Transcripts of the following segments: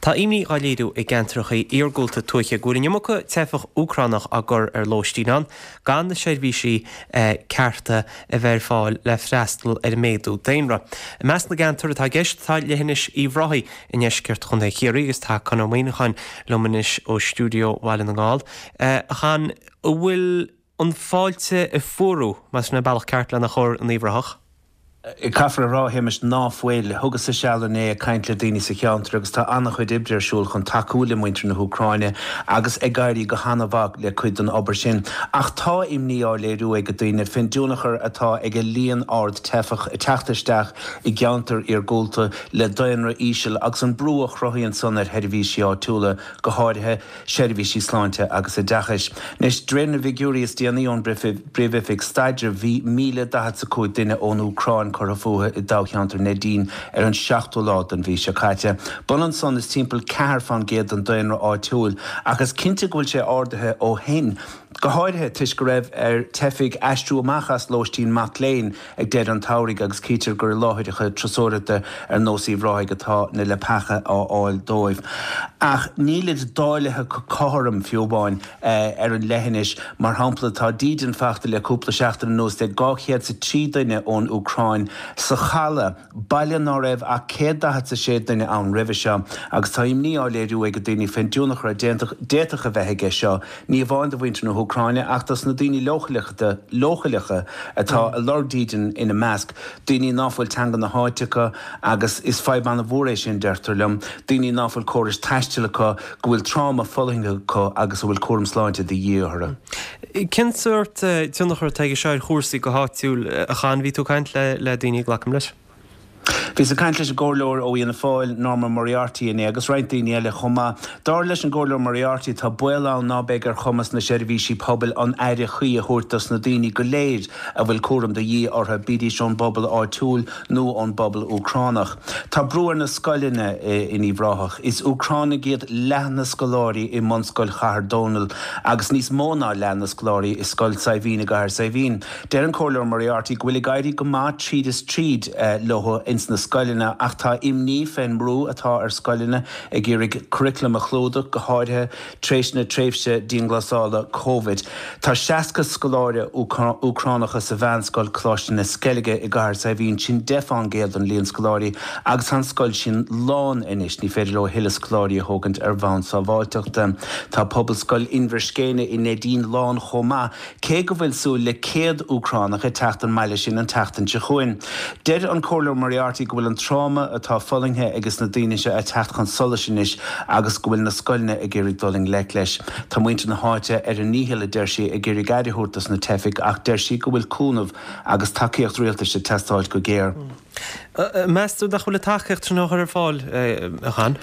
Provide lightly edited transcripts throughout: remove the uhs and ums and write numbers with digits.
Tá imní dhá léiriú i gceantracha iargúlta tuaithe go bhfuil an iomarca teifeach Úcránach á gcur ar lóistín ann, gan na seirbhísí cearta a bheith ar fáil le freastal ar an méadú daonra. I measc na gceantar atá i gceist tá leithinis Uíbh Ráthaigh i ndeisceart Chontae Chiarraí agus tá Con Ó Muíneacháin liom anois ó stiúideo Bhaile na nGall. A Chon, an bhfuil an fáilte ag fuarú, más sin an bealach ceart lena chur in Uíbh Ráthach? Caithfear a rá, a Shéamais, ná fuil. Thugas-sa seal inné ag caint le daoine sa cheantar agus tá an-chuid oibre ar siúl chun tacú le muintir na hÚcráine agus ag éirí go han-mhaith le cuid den obair sin. Ach tá imní á léiriú ag daoine fén dtionchar atá ag an líon ard teifeach ag teacht isteach i gceantair iargúlta le daonra íseal agus an brú a chruthaíonn san ar sheirbhísí áitiúla, go háirithe seirbhísí sláinte agus oideachais. Anois, de réir na bhfigiúirí is déanaí ón bPríomh-Oifig Staidrimh, bhí 1,045 duine ón Úcráin curtha fúthu i dtoghcheantar Neidín ar an seachtú lá den mhí seo caite. B'ionann san is timpeall 4 fán gcéad den daonra áitiúil, ach is cinnte go bhfuil sé ardaithe ó shin, go háirithe toisc go raibh ar teifigh aistriú amach as lóistín mac léinn ag deireadh an tsamhraidh agus cítear gur i láithreacha turasóireachta ar nós Uíbh Ráthaigh atá na leapacha á fháil dóibh. Ach nílid dáilithe go cothrom, fiú amháin, ar an leithinis. Mar shampla, tá dídean fachta le cúpla seachtain anuas ag 203 duine ón Úcráin sa Chaladh, baile ná raibh ach 146 duine ann roimhe seo, agus tá imní á léiriú ag daoine fén dtionchar a d'fhéadfadh a bheith aige seo, ní amháin do mhuintir na hÚcráine ach dos na daoine leochaileacha atá ag lorg dídean ina measc, daoine ná fuil teanga na háite acu agus is fadhb an-mhór é sin, deirtear liom, daoine ná fuil córais taistil acu, go bhfuil tráma fulaingthe acu agus a bhfuil cúram sláinte de dhíth orthu. Cén sórt tionchar atá aige seo ar chúrsaí go háitiúil, a Chon? Bhí tú ag caint le daoine, glacaim leis? Bhíos ag caint leis an gComhairleoir ó Fhianna Fáil, Norma Moriarty inné agus roinnt daoine eile chomh maith. Dar leis an gComhairleoir Moriarty tá baol ann ná beidh ar chumas na seirbhísí pobail an aire chuí a thabhairt dos na daoine go léir a bhfuil cúram de dhíth orthu, bídís ón bpobal áitiúil nó ón bpobal Úcránach. Tá brú ar na scoileanna in Uíbh Ráthach. Is Úcránaigh iad leath na scoláirí i mBunscoil Chathair Dónall agus níos mó ná leath na scoláirí i Scoil Saidhbhín i gCathair Saidhbhín. Deir an Comhairleoir Moriarty go bhfuil ag éirí go maith tríd is tríd leo ins na scoileanna ach tá imní fén mbrú atá ar scoileanna ag iarraidh curriculum a chlúdach, go háirithe tréis na tréimhse dianghlasála Covid. Tá 60 scoláire Úcránacha sa mheánscoil Coláiste na Sceilge i gCathair Saidhbhín, sin 10 fán gcéad den líon scoláirí agus tá an scoil sin lán anois, ní féidir leo a thuilleadh scoláirí a thógaint ar bhonn sábháilteachta. Tá Pobalscoil Inbhir Scéine i Neidín lán chomh maith. Cé go bhfuil súil le 100 Úcránach ag teacht an mbaile sin an tseachtain seo chugainn, deir an Comhairleoir Moriarty go bhfuil an tráma atá fulaingthe ages na daoine seo ag teacht chun solais anois agus go bhfuil na scoileanna ag iarraidh dul i ngleic leis. Tá muintir na háite ar a ndícheall, a deir sí, ag iarraidh aire a thabhairt dos na teifigh ach deir sí go bhfuil cúnamh agus tacaíocht rialtais ag teastáilt go géar. Meas tú nach bhfuil an tacaíocht sin á chur ar fáil, a Chon?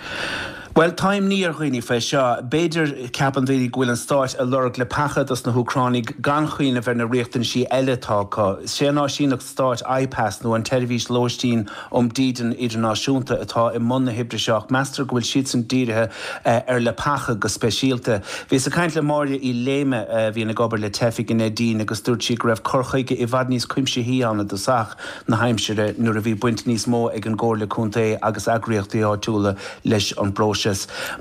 Bhuel, tá imní ar dhaoine faoi seo. B'fhéidir, ceapann daoine go bhfuil an stáit ag lorg leapacha dos na hÚcránaigh gan chuimhneamh ar na riachtanaisí eile atá acu. Sé an áisíneacht stáit IPAS nó an tSeirbhís Lóistín um Dídean Idirnáisiúnta atá i mbun na hoibre seo ach meastar go bhfuil siadsan dírithe ar leapacha go speisialta. Bhíos ag caint le Máire Uí Léime a bhíonn ag obair le teifigh i Neidín agus dúirt sí go raibh cur chuige i bhfad níos cuimsithí ann i dtosach. na haimsire nuair a bhí baint níos mó ag an gComhairle Contae agus eagraíochtaí áitiúla leis an bpróiseas.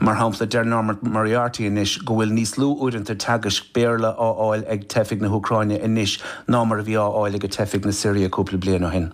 Mar shampla, deir Norma Moriarty anois go bhfuil níos lú uaireanta teagaisc Béarla á fháil ag teifigh na hÚcráine anois ná mar a bhí á fháil ag teifigh na Siria cúpla bliain ó shin.